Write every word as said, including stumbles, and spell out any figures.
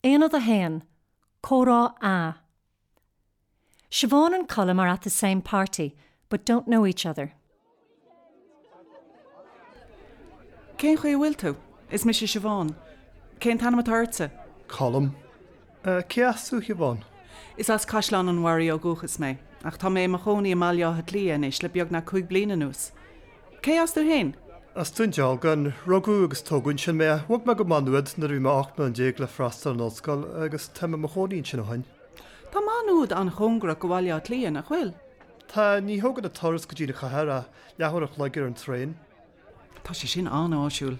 Aonad a haon, Comhrá A. Siobhan and Colm are at the same party, but don't know each other. Cén chaoi a bhfuil tú? Is mise Siobhán. Cén t-ainm atá ortsa? Colm. Cé as tú, a Shiobhán? Is as Caisleán an Bharraigh ó dhúchas mé, ach tá mé i mo chónaí i mBaile Átha Cliath anois le beagnach cúig bliana anuas. Cé as tú féin? As Dún Dealgan, rugadh agus tógadh ansin mé. Bhog mé go Maigh Nuad nuair a bhí mé ocht mbliana déag le freastal ar an ollscoil agus tá mé i mo chónaí ansin ó shin. Tá Maigh Nuad an-chóngarach go Bhaile Átha Cliath, nach bhfuil? Tá, ní thógann an turas go dtí an chathair ach leathuair a chloig ar an traein. Tá sé sin an-áisiúil.